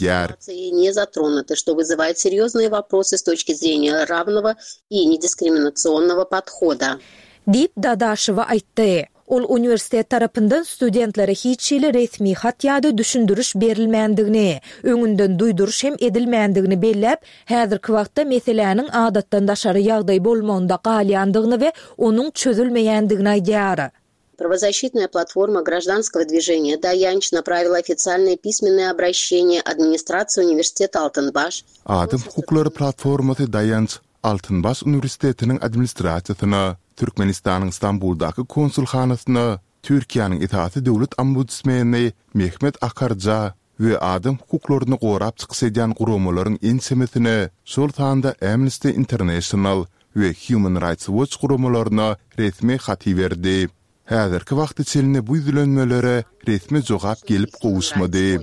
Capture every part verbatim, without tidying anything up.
Ýär. Не затронуты, что вызывает серьезные вопросы с точки зрения равного и недискриминационного подхода. Diýip, Dadaşewa aýtdy. Ol uniwersitet tarapyndan studentlere hiç hili resmi hat ýa-da düşündiriş berilmändigini, öňünden duýduryş hem edilmändigini belläp, häzirki wagtda meseläniň adatdan daşary ýagdaý bolmagynda galýandygyny we onuň çözülmeýändigini aýdýar. Правозащитная платформа гражданского движения «Daýanç» направила официальное письменное обращение администрации университета «Altynbaş». Adam hukuklary platformasy Daýanç Altynbaş uniwersitetiniň administrasiýasyna, Türkmenistanyň Stambuldaky konsulhanasyna, Türkiýäniň esasy döwlet ombudsmeni Mehmet Akarja we adam hukuklaryny gorap çykyş edýän guramalaryň ençemesine, şol sanda Amnesty International we Human Rights Watch guramalaryna resmi hat iberdi. Häzirki wagta çenli bu ýüzlenmelere resmi jogap gelip gowuşmady.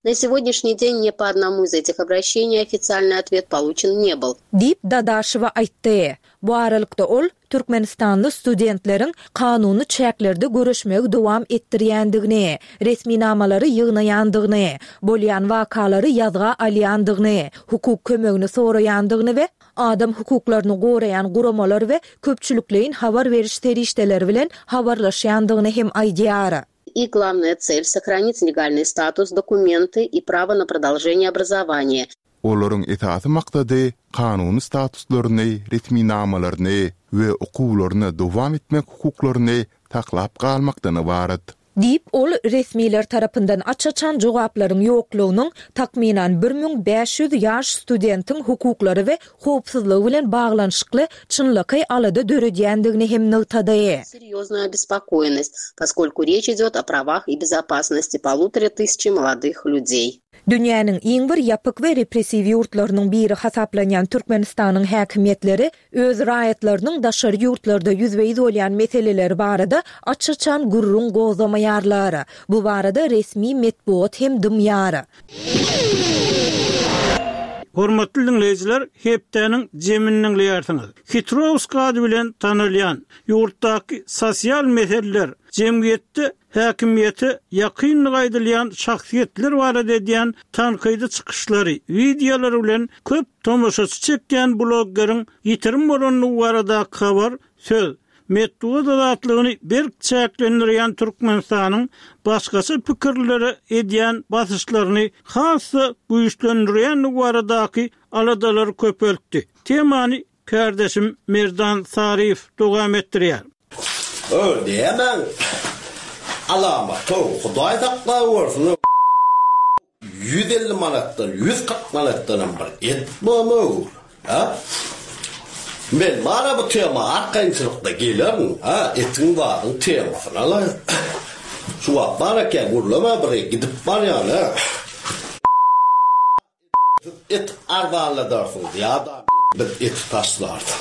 На сегодняшний день ни по одному из этих обращений официальный ответ получен не был. Diýip, Dadaşewa aýtdy. Bu aralykda ol türkmenistanly studentleriň kanuny çäklerde göreşmegi dowam etdirýändigini, resminamalary ýygnaýandygyny, bolýan wakalary ýazga alýandygyny, hukuk kömegini soraýandygyny we adam hukuklaryny goraýan guramalar we köpçülikleýin habar beriş serişdeleri bilen habarlaşýandygyny hem aýdýar. Их главная цель – сохранить легальный статус, документы и право на продолжение образования. Olaryň esasy maksady kanuny statuslaryny, resminamalaryny we okuwlaryny dowam etmek hukuklaryny saklap galmakdan ybarat. Diýip, ol resmiler tarapyndan aç-açan jogaplaryň ýoklugynyň takmynan bir müň bäş ýüz ýaş studentiň hukuklary we howpsuzlygy bilen baglanyşykly çynlakaý alada döredýändigini hem nygtady. Серьезную обеспокоенность, поскольку речь идет о правах и безопасности полутора тысячи молодых людей. Dünýäniň iň bir ýapyk we repressiw ýurtlarynyň biri hasaplanýan Türkmenistanyň häkimiýetleri öz raýatlarynyň daşary ýurtlarda ýüzbe-ýüz bolýan meseleleri barada aç-açan gürrüň gozgamaýarlar. Bu barada resmi metbugat hem dymýar. Hormatly diňleýjiler, hepdäniň jemini diňleýärsiňiz. Hitrowsk ady bilen tanalýan ýurtdaky sosial meseleler, jemgyýetde häkimiýete ýakynlygy aýdylýan şahsyýetler barada edýän tankydy çykyşlary, wideolary bilen köp tomaşaçy çekýän bloggeriň ýitirim bolandygy baradaky habar söz, metbugat azatlygyny berk çäklendirýän Türkmenistanyň başgaça pikirlilere edýän basyşlaryny has-da güýçlendirýändigi baradaky aladalary köpeltdi. Temany kärdeşim Merdan Saryýew dowam etdirýär. Öl diýemän. Alamat-ow, Hudaý saklawörsün-ow. Ýüz elli manatdan, ýüz kyrk manatdanam bir et bormy-ow, a? Men bar-a bu tema arkaýynçylykda gelerin, a, etiň zadyň temasyna-la. Şu wagt bar eken, gürleme bir gidip barýan-a. Siz et arzanladarsyňyz ýa-da biz eti taşlarys.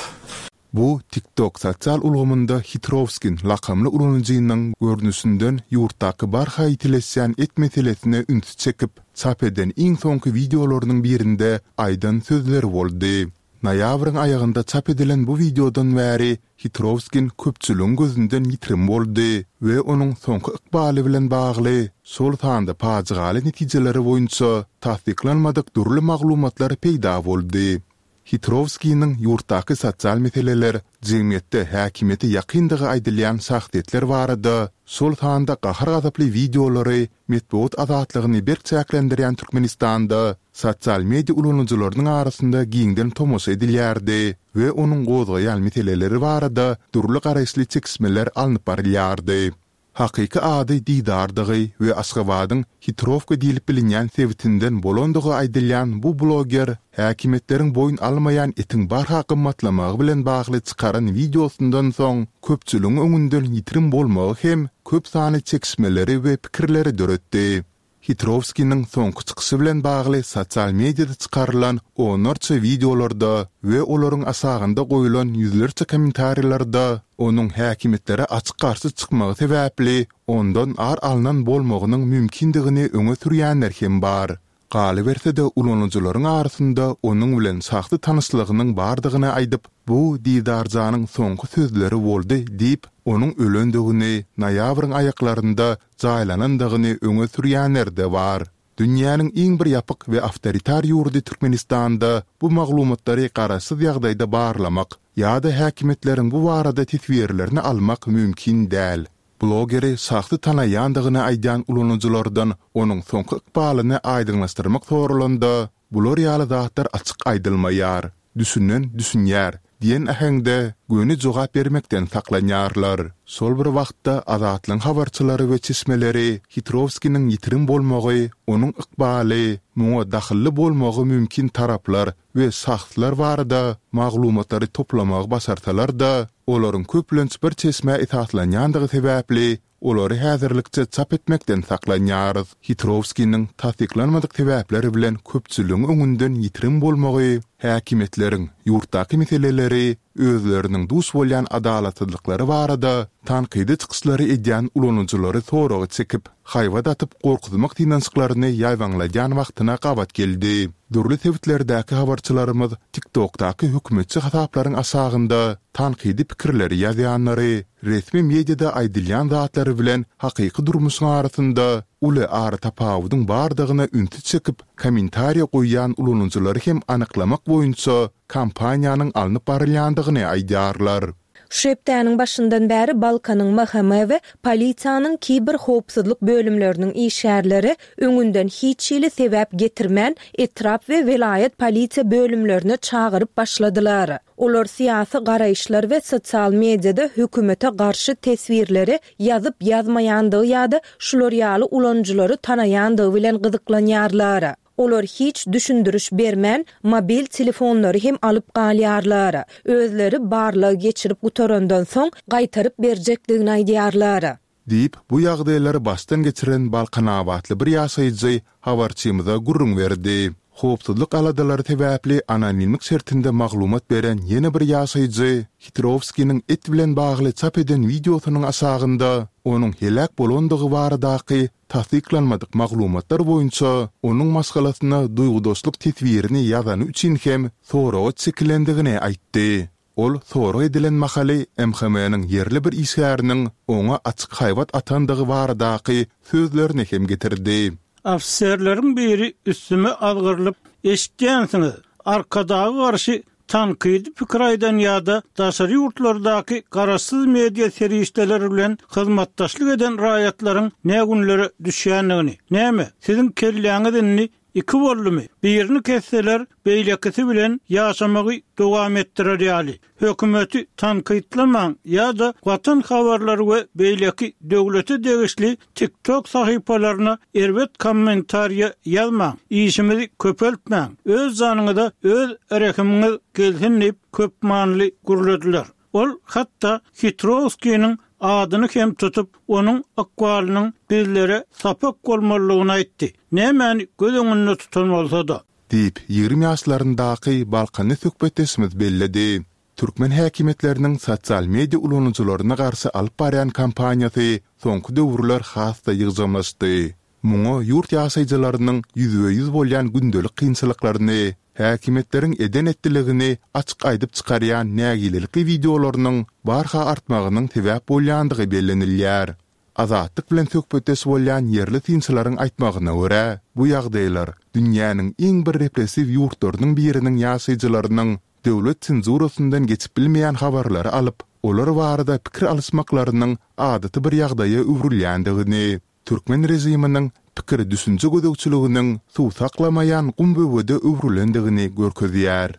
Bu TikTok sosial ulgamynda Hitrowskin lakamly ulanyjynyň görnüşinden ýurtdaky barha ýitileşýän et meselesine ünsi çekip, çap eden iň soňky wideolarynyň birinde aýdan sözleri boldy. Noýabryň aýagynda çap edilen bu wideodan bäri Hitrowskin köpçüligiň gözünden ýitirim boldy we onuň soňky ykbaly bilen bagly, şol sanda pajygaly netijeleri boýunça tassyklanmadyk dürli maglumatlar peýda boldy. Hitrowskiniň ýurtdaky sosial meseleler, jemgyýetde häkimiýete ýakyndygy aýdylýan şahsyýetler barada, şol sanda gahar-gazaply wideolary metbugat azatlygyny berk çäklendirýän Türkmenistanda sosial media ulanyjylarynyň arasynda giňden tomaşa edilýärdi we onuň gozgaýan meseleleri barada dürli garaýyşly çekişmeler alnyp barylýardy. Hakyky ady Didardygy we Aşgabadyň Hitrowka diýlip bilinýän sebitinden bolandygy aýdylýan bu bloger häkimiýetleriň boýun almaýan etiň barha gymmatlamagy bilen bagly çykaran wideosyndan soň köpçüligiň öňünden ýitirim bolmagy hem köp sanly çekişmeleri we pikirleri döretdi. Hitrowskiniň soňky çykyşy bilen bagly sosial mediada çykarylan onlarça wideolarda we olaryň aşagynda goýlan ýüzlerçe kommentariýalarda onuň häkimiýetlere açyk garşy çykmagy sebäpli ondan ar alnan bolmagynyň mümkindigini öňe sürýänler hem bar. Galyberse-de, ulanyjylaryň arasynda onuň bilen şahsy tanyşlygynyň bardygyny aýdyp, bu Didarjanyň soňky sözleri boldy diýip, onuň ölendigini, noýabryň aýaklarynda jaýlanandygyny öňe sürýänler-de bar. Dünýäniň iň bir ýapyk we awtoritar ýurdy Türkmenistanda bu maglumatlary garaşsyz ýagdaýda barlamak ýa-da häkimiýetleriň bu barada teswirlerini almak mümkin däl. Blogeri şahsy tanaýandygyny aýdýan ulanyjylardan onuň soňky ykbalyny aýdyňlaşdyrmak soralanda, bular ýaly zatlar açyk aýdylmaýar, düşünen düşünýär diýen äheňde göni jogap bermekden saklanýarlar. Şol bir wagtda Azatlygyň habarçylary we çeşmeleri Hitrowskiniň ýitirim bolmagy, onuň ykbaly, muňa dahylly bolmagy mümkin taraplar we şahslar barada maglumatlary toplamagy başarsalar-da, olaryň köplenç bir çeşmä esaslanýandygy sebäpli, olary häzirlikçe çap etmekden saklanýarys. Hitrowskiniň tassyklanmadyk sebäpler bilen köpçüligiň öňünden ýitirim bolmagy häkimiýetleriň ýurtdaky meseleleri, özleriniň duş bolýan adalatsyzlyklary barada tankydy çykyşlary edýän ulanyjylary soraga çekip, haýbat atyp gorkuzmak synanyşyklaryny ýaýbaňladýan wagtyna gabat geldi. Dürli sebitlerdäki habarçylarymyz TikTokdaky hökümetçi hasaplaryň aşagynda tankydy pikirleri ýazýanlary, resmi mediada aýdylýan zatlary bilen hakyky durmuşyň arasynda uly aratapawudyň bardygyna ünsi çekip, kommentariýa goýýan ulanyjylary hem anyklamak boýunça kampaniýanyň alnyp barylýandygyny aýdýarlar. Şu hepdäniň başyndan bäri Balkanyň M H M we polisiýanyň kiberhowpsuzlyk bölümleriniň işgärleri öňünden hiç hili sebäp getirmän etrap we welaýat polisiýa bölümlerine çagyryp başladylar. Olar syýasy garaýyşlar we sosial mediada hökümete garşy teswirleri ýazyp ýazmaýandygy ýa-da şular ýaly ulanyjylary tanaýandygy bilen gyzyklanýarlar. Olar hiç düşündiriş bermän mobil telefonlary hem alyp galýarlar. Özleri barlag geçirip gutarandan soň gaýtaryp berjekdigini aýdýarlar. Diýip, bu ýagdaýlary başdan geçiren Balkanabatly bir ýaşaýjy habarçymyza gürrüň berdi. Howpsuzlyk aladalary sebäpli anonimlik şertinde maglumat beren ýene bir ýaşaýjy Hitrowskiniň et bilen bagly çap eden wideosynyň aşagynda onuň heläk bolandygy baradaky tassyklanmadyk maglumatlar boýunça onuň maşgalasyna duýgudaşlyk teswirini ýazany üçin hem soraga çekilendigini aýtdy. Ol sorag edilen mahaly M H M-niň ýerli bir işgäriniň oňa açyk haýbat atandygy baradaky sözlerini hem getirdi. Ofiserleriň biri üstüme azgyrylyp, "Eşitýänsiňiz, Arkadaga garşy tankydy pikir aýdan ýa-da daşary ýurtlardaky garaşsyz media serişdeleri bilen hyzmatdaşlyk eden raýatlaryň ne günlere düşýändigini. Näme, siziň kelläňiz indi iki boldumy? Birini kesseler, beýlekisi bilen ýaşamagy dowam etdirer ýaly. Hökümeti tankytlamaň ýa-da Watan habarlary we beýleki döwlete degişli TikTok sahypalaryna erbet kommentariýa ýazmaň. Işimizi köpeltmäň. Öz janyňyza öz rehimiňiz gelsin diýip köpmanly gürlediler. Ol hatda Hitrowskiniň adyny hem tutup, onuň ykbalynyň bizlere sapak bolmalydygyny aýtdy. Nämäni göz öňünde tutan bolsa-da. Diýip, ýigrimi ýaşlaryndaky Balkanly söhbetdeşimiz belledi. Türkmen häkimiýetleriniň sosial media ulanyjylaryna garşy alyp barýan kampaniýasy soňky döwürler has-da ýygjamlaşdy. Muňa ýurt ýaşaýjylarynyň ýüzbe-ýüz bolýan gündelik kynçylyklaryny, häkimiýetleriň eden etdiligini açyk aýdyp çykarýan nägilelikli wideolarynyň barha artmagynyň sebäp bolýandygy bellenilýär. Azatlyk bilen söhbetdeş bolýan ýerli synçylaryň aýtmagyna görä, bu ýagdaýlar dünýäniň iň bir repressiw ýurtlarynyň biriniň ýaşaýjylarynyň döwlet senzurasyndan geçip bilmeýän habarlary alyp, olar barada pikir alyşmaklarynyň adaty bir ýagdaýa öwrülýändigini, türkmen režiminiň pikir düşünje gözegçiliginiň suw saklamaýan gum böwede öwrülendigini görkezýär.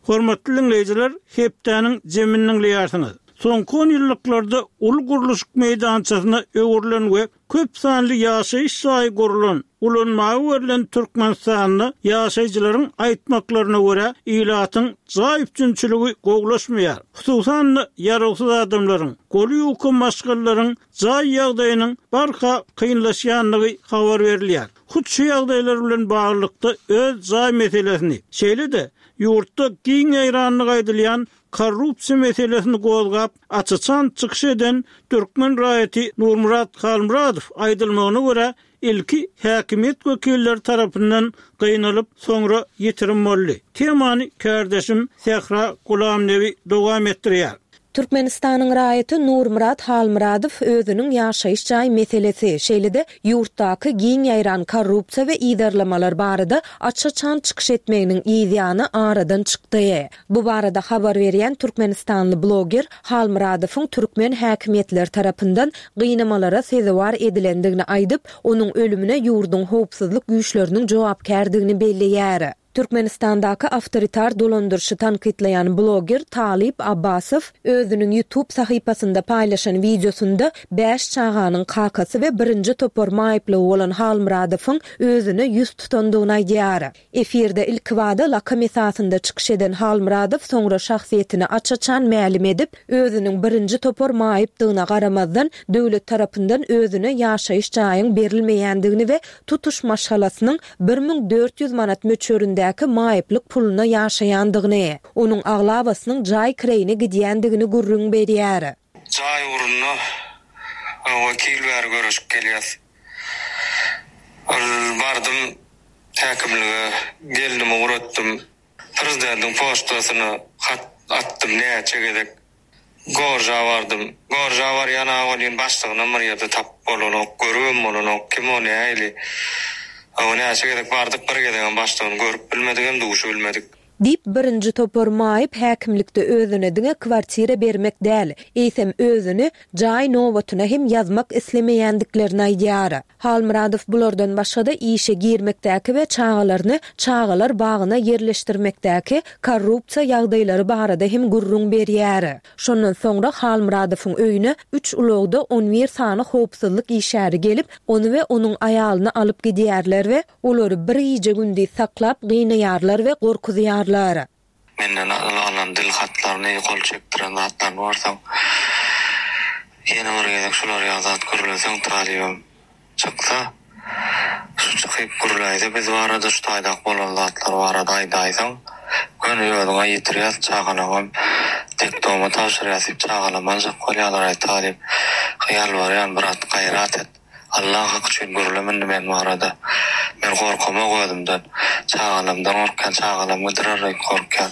Hormatly dinleýjiler, hepdäniň jemini diňleýärsiňiz. Soňky on ýyllyklarda uly gurluşyk meýdançasyna öwrülen we köp sanly ýaşaýyş jaýy gurlan, ulanmaga berlen Türkmenistanda ýaşaýjylaryň aýtmaklaryna görä, ilatyň jaý üpjünçiligi gowulaşmaýar. Hususan-da ýarawsyz adamlaryň, goly ýuka maşgalalaryň jaý ýagdaýynyň barha kynlaşýandygy habar berilýär. Hut şu ýagdaýlar bilen baglylykda öz jaý meselesini, şeýle-de ýurtda giň ýaýrandygy aýdylýan korrupsiýa meselesini gozgap, aç-açan çykyş eden türkmen raýaty Nurmyrat Halmyradow aýdylmagyna görä, ilki häkimiýet wekilleri tarapyndan gynalyp, soňra ýitirim boldy. Temany kärdeşim Sähra Gulamnebi dowam etdirýär. Türkmenistanyň raýaty Nurmyrat Halmyradow özüniň ýaşaýyş jaý meselesi, şeýle-de ýurtdaky giň ýaýran korrupsiýa we yzarlamalar barada aç-açan çykyş etmeginiň yzýany aradan çykdy. Bu barada habar berýän türkmenistanly bloger Halmyradowyň türkmen häkimiýetleri tarapyndan gynamalara sezewar edilendigini aýdyp, onuň ölümine ýurduň howpsuzlyk güýçleriniň jogapkärdigini belleýär. Türkmenistandaky awtoritar dolandyryşy tankytlaýan bloger Talyp Abbasow özüniň YouTube sahypasynda paýlaşan wideosynda bäş çaganyň kakasy we birinji topar maýyplygy bolan Halmyradowyň özüne ýüz tutandygyny aýdýar. Efirde ilkibada lakam esasynda çykyş eden Halmyradow soňra şahsyýetini aç-açan mälim edip, özüniň birinji topar maýypdygyna garamazdan, döwlet tarapyndan özüne ýaşaýyş jaýyň berilmeýändigini we tutuş maşgalasynyň bir müň dört ýüz manat möçberindäki maýyplyk puluna ýaşaýandygyny, onuň aglabasynyň jaý kireýine gidýändigini gürrüň berýär. Jaý ugrunda iki ýyl bäri göreşip gelýäs. Ol bardym häkimlige, gelnimi ugratdym. Prezidentiň poçtasyna hat atdym näçe gezek. Gorja bardym. Gorja barýan-a welin başlygynam bir ýerde tapyp bolanok, görübem bolanok, kim o nähili. Hawa, näçe gezek bardyk, bir gezegem başlygyny görüp bilmedigem, duşup bilmedik. Diýip, birinji topar maýyp häkimlikde özüne diňe kwartira bermek däl, eýsem özüni jaý nobatyna hem ýazmak islemeýändiklerini aýdýar. Halmyradow bulardan başga-da işe girmekdäki we çagalaryny çagalar bagyna ýerleşdirmekdäki korrupsiýa ýagdaýlary barada hem gürrüň berýär. Şondan soňra Halmyradowyň öýüne üç ulagda on bir sany howpsuzlyk işgäri gelip, ony we onuň aýalyny alyp gidýärler we olary bir gije-gündiz saklap gynaýarlar we gorkuzýarlar. Menden alan dil hatlaryny, gol çekdiren zatlaryny görseň, ýene bir gezek şular ýaly zat gürleseň, talybym çyksa, şu çykyp gürläýse biz barada, şu taýdak bolan zatlar barada aýdaýsaň, göni özüňe ýetirýäs, çagalaňam detdoma tabşyrýas diýip çagalam aljak bolýarlar, aý talyp, ýalbarýan, brat, gaýrat et. Allah haky üçin gürleme indi men barada. Men gorkamok özümden. Çagalamdan gorkýan, çagalam gidirer diýip gorkýan.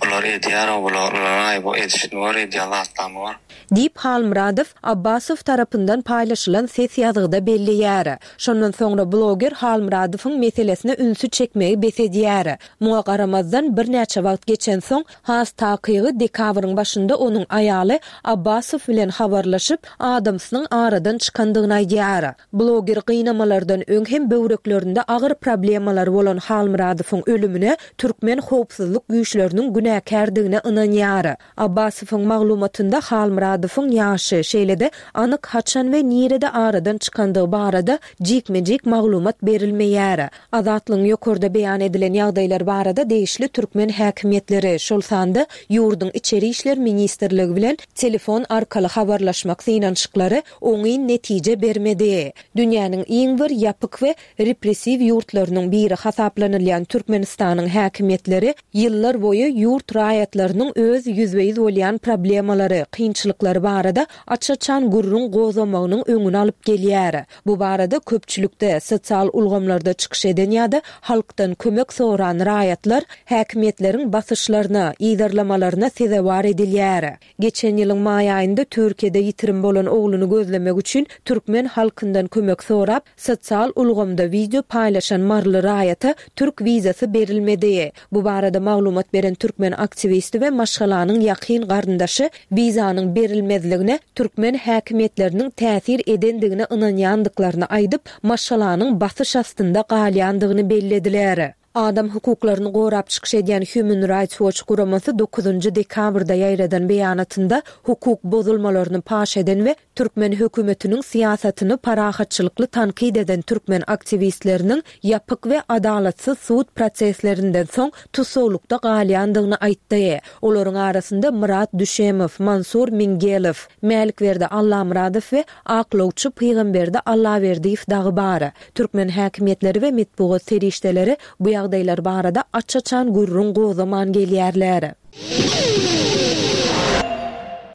Bular edýär, bular, bular aý bu edişini gör, edýän zatlaryny gör. Diýip Halmyradow Abbasow tarapyndan paýlaşylan ses ýazgyda belleýär. Şondan soňra bloger Halmyradowyň meselesine ünsi çekmegi bes edýär. Muňa garamazdan birnäçe wagt geçensoň, has takygy dekabryň başynda onuň aýaly Abbasow bilen habarlaşyp, adamsynyň aradan çykandygyny aýdýar. Bloger gynamalardan öň hem böwreklerinde agyr problemalar bolan Halmyradowyň ölümine türkmen howpsuzlyk güýçleriniň günäkärdigine ynanýar. Abbasowyň maglumatynda Halmyradowyň ýaşy, şeýle-de anyk haçan we nirede aradan çykandygy barada jikme-jik maglumat berilmeýär. Azatlygyň ýokarda beýan edilen ýagdaýlar barada degişli türkmen häkimiýetleri, şol sanda ýurduň Içeri işler ministrligi bilen telefon arkaly habarlaşmak synanyşyklary oňyn netije bermedi. Dünýäniň iň bir ýapyk we repressiw ýurtlarynyň biri hasaplanylýan Türkmenistanyň häkimiýetleri ýyllar boýy ýurt raýatlarynyň öz ýüzbe-ýüz bolýan problemalary, kynçylyklary barada aç-açan gürrüň gozamagynyň öňüni alyp gelýär. Bu barada köpçülikde, sosial ulgamlarda çykyş eden ýa-da halkdan kömek soran raýatlar häkimiýetleriň basyşlaryna, yzarlamalaryna sezewar edilýär. Geçen ýylyň maý aýynda Türkiýede ýitirim bolan ogluny gözlemek üçin türkmen halkyndan kömek sorap, sosial ulgamda wideo paýlaşan maryly raýata türk wizasy berilmedi. Bu barada maglumat beren türkmen aktiwisti we maşgalanyň ýakyn garyndaşy wizanyň berilmezligine türkmen häkimiýetleriniň täsir edendigine ynanýandyklaryny aýdyp, maşgalanyň basyş astynda galýandygyny bellediler. Adam hukuklaryny gorap çykyş edýän Human Rights Watch guramasy dokuzynjy dekabrda ýaýradan beýanatynda hukuk bozulmalaryny paş eden we türkmen hökümetiniň syýasatyny parahatçylykly tankyt eden türkmen aktiwistleriniň ýapyk we adalatsyz sud proseslerinden soň tussaglykda galýandygyny aýtdy. Olaryň arasynda Murat Düşemow, Mansur Mingelow, Mälikberdi Allamyradow we aklawçy Pygamberdi Allaberdiýew dagy bar. Türkmen häkimiýetleri we metbugat serişdeleri bu ýagdaýlar barada aç-açan gürrüň gozaman gelýärler.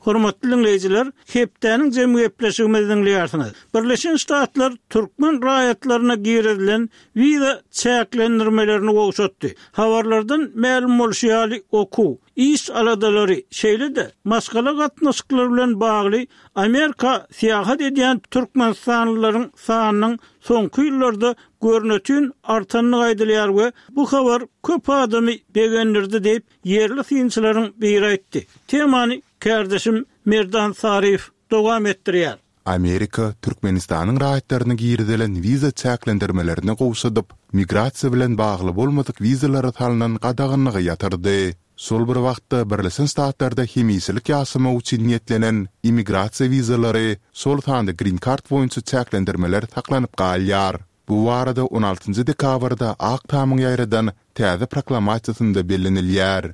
Hormatly diňleýjiler, hepdäniň jemi gepleşigimizi diňleýärsiňiz. Birleşen Ştatlar türkmen raýatlaryna girizilen wiza çäklendirmelerini gowşatdy. Habarlardan mälim bolşy ýaly, okuw, iş aladalary, şeýle-de maşgala gatnaşyklary bilen bagly Amerika syýahat edýän türkmenistanlylaryň sanynyň soňky ýyllarda görnetin artandygy aýdylýar we bu habar köp adamy begendirdi diýip, ýerli synçylaryň biri aýtdy. Temany kärdeşim Merdan Saryýew dowam etdirýär. Amerika Türkmenistanyň raýatlaryna girizilen wiza çäklendirmelerini gowşadyp, migrasiýa bilen bagly bolmadyk wizalara salnan gadaganlygy ýatyrdy. Şol bir wagtda Birleşen Ştatlarda hemişelik ýaşamak üçin niýetlenen immigrasiýa wizalary, şol sanda Green Card boýunça çäklendirmeler saklanyp galýar. Bu barada on altynjy dekabrda Ak Tamyň ýaýradan täze proklamasiýasynda bellenilýär.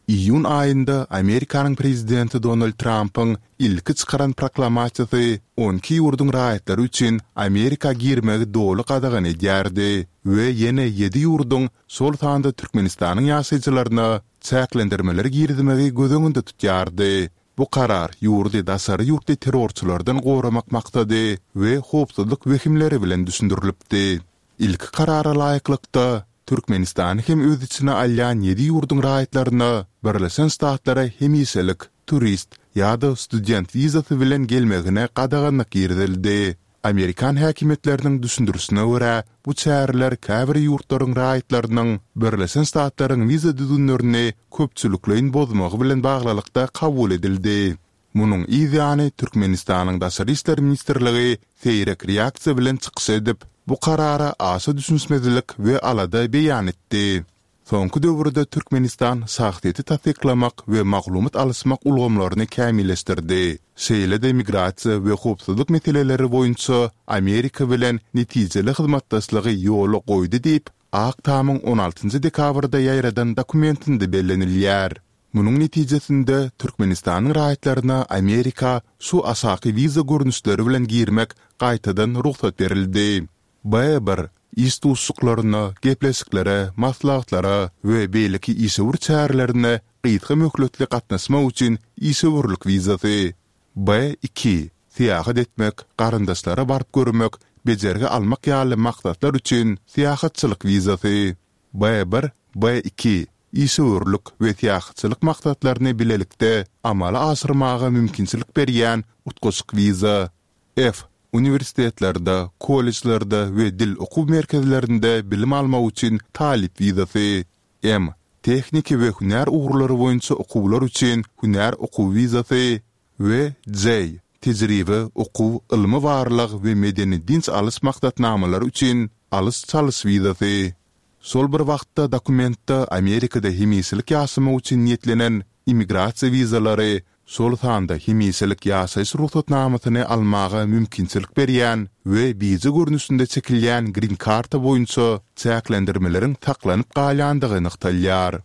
Iýun aýynda Amerikanyň prezidenti Donald Trampyň ilki çykaran proklamasiýasy on iki ýurduň raýatlary üçin Amerika girmegi doly gadagan edýärdi we ýene ýedi ýurduň, şol sanda Türkmenistanyň ýaşaýjylaryna çäklendirmeleri girizmegi göz öňünde tutýardy. Bu karar ýurdy daşary ýurtly terrorçylardan goramak maksady we howpsuzlyk wehimleri bilen düşündirilipdi. Ilki karara laýyklykda, Türkmenistany hem öz içine alýan ýedi ýurduň raýatlaryna Birleşen Ştatlara hemişelik, turist ýa-da student wizasy bilen gelmegine gadaganlyk girizildi. Amerikan häkimiýetleriniň düşündirişine görä, bu çäreler käbir ýurtlaryň raýatlarynyň Birleşen Ştatlaryň wiza düzgünlerini köpçülikleýin bozmagy bilen baglylykda kabul edildi. Munuň yz ýany Türkmenistanyň Daşary işler ministrligi seýrek reaksiýa bilen çykyş edip, bu karara aşa düşünişmezlik we alada beýan etdi. Soňky döwürde Türkmenistan şahsyýeti tassyklamak we maglumat alyşmak ulgamlaryny kämilleşdirdi, şeýle-de migrasiýa we howpsuzlyk meseleleri boýunça Amerika bilen netijeli hyzmatdaşlygy ýola goýdy diýip, Ak Tamyň on altynjy dekabrda ýaýradan dokumentinde bellenilýär. Munuň netijesinde, Türkmenistanyň raýatlaryna Amerika şu aşaky wiza görnüşleri bilen girmek gaýtadan rugsat berildi. B bir, iş duşuşyklaryna, gepleşiklere, maslahatlara we beýleki işewür çärelerine gysga möhletli gatnaşmak üçin işewürlik wizasy. B iki, syýahat etmek, garyndaşlara baryp görmek, bejergi almak ýaly maksatlar üçin syýahatçylyk wizasy. B bir, B iki, işewürlik we syýahatçylyk maksatlaryny bilelikde amala aşyrmaga mümkinçilik berýän utgaşyk wiza. F, uniwersitetlerde, kollejlerde we dil okuw merkezlerinde bilim almak üçin talyp wizasy. M, tehniki we hünär ugurlary boýunça okuwlar üçin hünär okuw wizasy we J, tejribe, okuw, ylmy-barlag we medeni-dynç alyş maksatnamalary üçin alyş-çalyş wizasy. Şol bir wagtda dokumentde Amerikada hemişelik ýaşamak üçin niýetlenen immigrasiýa wizalary, şol sanda hemişelik ýaşaýyş rugsatnamasyny almaga mümkinçilik berýän we bije görnüşinde çekilýän grin-karta boýunça çäklendirmeleriň saklanyp galýandygy nygtalýar.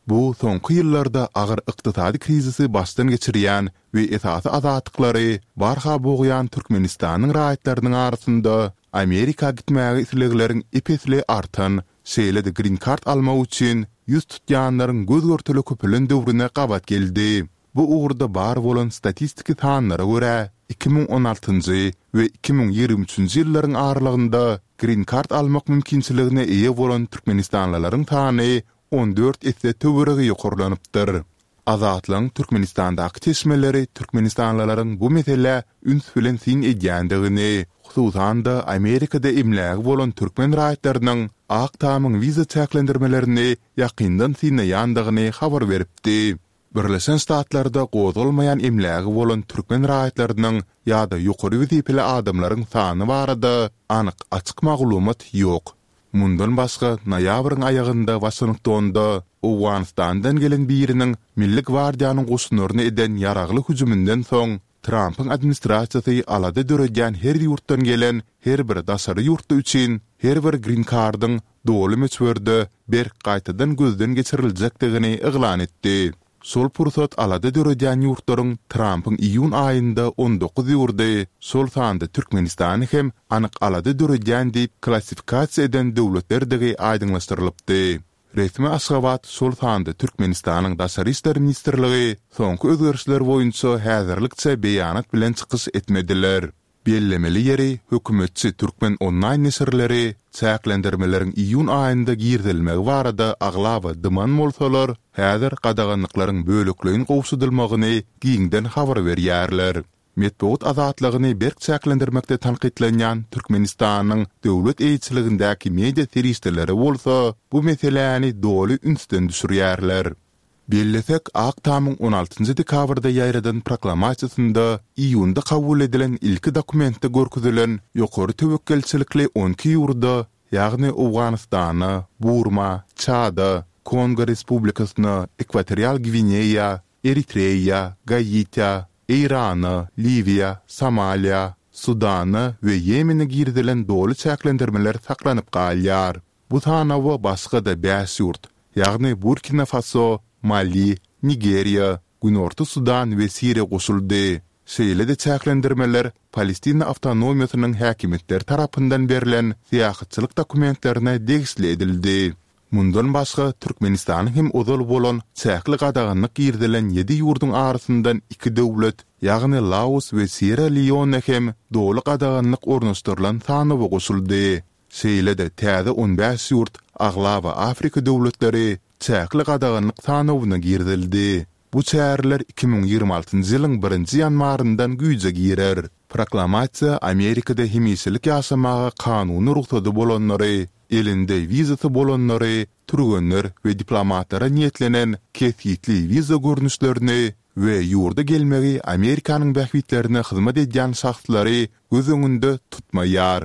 Bu soňky ýyllarda agyr ykdysady krizisi başdan geçirýän we esasy azatlyklary barha bogýan Türkmenistanyň raýatlarynyň arasynda Amerika gitmäge islegleriň ep-esli artan, şeýle-de Green Card almak üçin ýüz tutýanlaryň göz-görtele köpelen döwrüne gabat geldi. Bu ugurda bar bolan statistiki sanlara görä, iki müň on altynjy we iki müň ýigrimi üçünji ýyllaryň aralygynda Green Card almak mümkinçiligine eýe bolan türkmenistanlylaryň sany on dört esse töweregi ýokarlanypdyr. Azatlygyň Türkmenistandaky çeşmeleri türkmenistanlylaryň bu meselä üns bilen syn edýändigini, hususan-da Amerikada emlägi bolan türkmen raýatlarynyň Ak Tamyň wiza çäklendirmelerini ýakyndan synlaýandygyny habar beripdi. Birleşen Ştatlarda gozgalmaýan emlägi bolan türkmen raýatlarynyň ýa-da ýokary wezipeli adamlaryň sany barada anyk açyk maglumat ýok. Mundan başga, noýabryň aýagynda Waşingtonda Owganystandan gelen biriniň Milli gwardiýanyň goşunlaryna eden ýaragly hüjüminden soň, Trampyň administrasiýasy alada döredýän her ýurtdan gelen her bir daşary ýurtly üçin her bir Green Card-yň doly möçberde berk gaýtadan gözden geçiriljekdigini yglan etdi. Şol pursat alada döredýän ýurtlaryň Trampyň iýun aýynda on dokuz ýurdy, şol sanda Türkmenistany hem anyk alada döredýän diýip klassifikasiýa eden döwletlerdigi aýdyňlaşdyrylypdy. Resmi Aşgabat, şol sanda Türkmenistanyň Daşary işler ministrligi soňky özgerişler boýunça häzirlikçe beýanat bilen çykyş etmediler. Bellemeli ýeri, hökümetçi Türkmen onlaýn neşirleri çäklendirmeleriň iýun aýynda girizilmegi barada aglaba dyman bolsalar, häzir gadaganlyklaryň bölekleýin gowşadylmagyny giňden habar berýärler. Metbugat azatlygyny berk çäklendirmekde tankytlanýan Türkmenistanyň döwlet eýeçiligindäki media serişdeleri bolsa bu meseläni doly ünsden düşürýärler. Bellesek, Ak Tamyň on altynjy dekabrda ýaýradan proklamasiýasynda iýunda kabul edilen ilki dokumentde görkezilen ýokary töwekgelçilikli on iki ýurda, ýagny Owganystana, Burma, Çada, Kongo Respublikasyna, Ekwatorial Gwineýa, Eritreýa, Gaitä, Eýrana, Liwiýa, Somaliýa, Sudana we Ýemene girizilen doly çäklendirmeler saklanyp galýar. Bu sanawa başga-da bäş ýurt, ýagny Burkina Faso, Mali, Nigeriýa, Günorta Sudan we Siriýa goşuldy. Şeýle-de çäklendirmeler Palestina awtonomiýasynyň häkimiýetleri tarapyndan berlen syýahatçylyk dokumentlerine degişli edildi. Mundan başga, Türkmenistanyň hem ozal bolan çäkli gadaganlyk girizilen ýedi ýurduň arasyndan iki döwlet, ýagny Laos we Sýerra-Leone hem doly gadaganlyk ornaşdyrylan sanawa goşuldy. Şeýle-de täze on bäş ýurt, aglaba Afrika döwletleri, çäkli gadaganlyk sanawyna girizildi. Bu çäreler iki müň ýigrimi altynjy ýylyň birinji ýanwaryndan güýje girer. Proklamasiýa Amerikada hemişelik ýaşamaga kanuny rugsady bolanlary, elinde wizasy bolanlary, türgenler we diplomatlara niýetlenen kesgitli wiza görnüşlerini we ýurda gelmegi Amerikanyň bähbitlerine hyzmat edýän şahslary göz öňünde tutmaýar.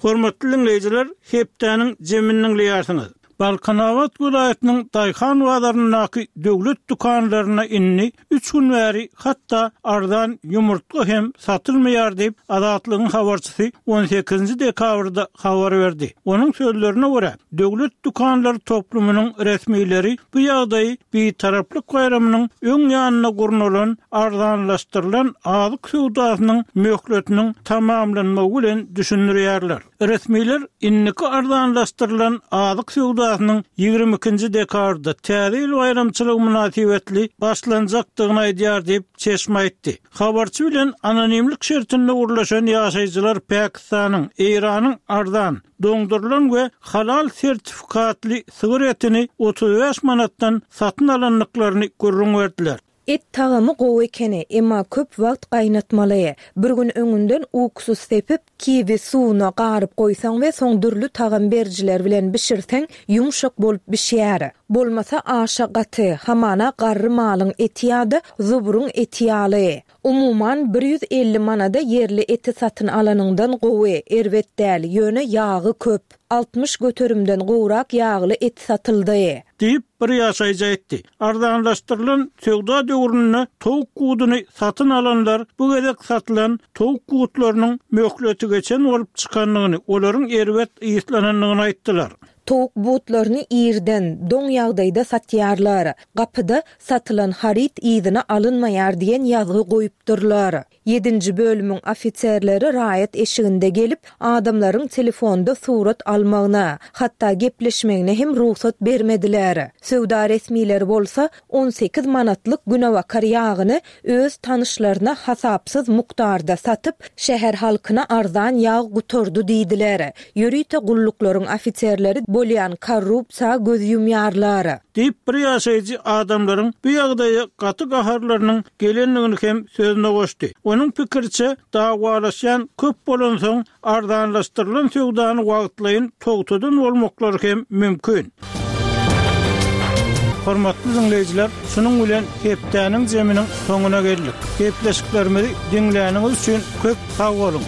Hormatly diňleýjiler, hepdäniň jemini diňleýärsiňiz. Balkanabat welaýatynyň daýhan bazaryndaky döwlet dükanlarynda indi üç gün bäri hatda arzan ýumurtga hem satylmaýar diýip, Azatlygyň habarçysy on sekizinji dekabrda habar berdi. Onuň sözlerine görä, döwlet dükanlar toplumynyň resmileri bu ýagdaýy Bitaraplyk baýramynyň öň ýanynda gurnalan arzanlaşdyrylan azyk söwdasynyň möhletiniň tamamlanmagy bilen düşündirýärler. Resmiler indiki arzanlaşdyrylan azyk söwdasynyň ýigrimi ikinji dekabrda, Täze ýyl baýramçylygy mynasybetli başlanjakdygyny aýdýar diýip, çeşme aýtdy. Habarçy bilen anonimlik şertinde gürleşen ýaşaýjylar Pakistanyň, Eýranyň arzan, doňdurylan we halal sertifikatly sygyr etini otuz bäş manatdan satyn alandyklaryny gürrüň berdiler. Et tagamy gowy ekeni, emma köp wagt gaýnatmaly. Bir gün öňünden uksus sepip, kiwi suwuna garyp goýsaň we soň dürli tagam berijiler bilen bişirseň, ýumşak bolup bişýär. Bolmasa aşa gaty, hamana garry malyň eti ýa-da zubruň eti ýaly. Umuman, bir ýüz elli manada ýerli eti satyn alanyňdan gowy, erbet däl, ýöne ýagy köp. Altmyş göterimden gowrak ýagly et satyldy. Diýip, bir ýaşaýjy aýtdy. Arzanlaşdyrylan söwda döwründe towuk guduny satyn alanlar bu gezek satylan towuk gutlarynyň möhleti geçen bolup çykandygyny, olaryň erbet yslanandygyny aýtdylar. Towuk butlaryny irden, doň ýagdaýda satýarlar. Gapyda Satylan haryt yzyna alynmaýar diýen ýazgy goýupdyrlar. Ýedinji bölümiň ofiserleri raýat eşiginde gelip, adamlaryň telefonda surat almagyna, hatda gepleşmegine hem rugsat bermediler. Söwda resmileri bolsa, on sekiz manatlyk günebakar ýagyny öz tanyşlaryna hasapsyz mukdarda satyp, şäher halkyna arzan ýag gutardy diýdiler. Ýörite gulluklaryň ofiserleri bolýan korrupsiýa göz ýumýarlar. Diýip, bir ýaşaýjy adamlaryň bu ýagdaýa gaty gaharlarynyň gelendigini hem sözüne goşdy. Onuň pikiriçe, dawalaşýan köp bolansoň, arzanlaşdyrylan söwdany wagtlaýyn togtadan bolmaklary hem mümkin. Hormatly diňleýjiler, şunuň bilen hepdäniň jeminiň soňuna geldik. Gepleşiklerimizi diňläniňiz üçin köp sag boluň!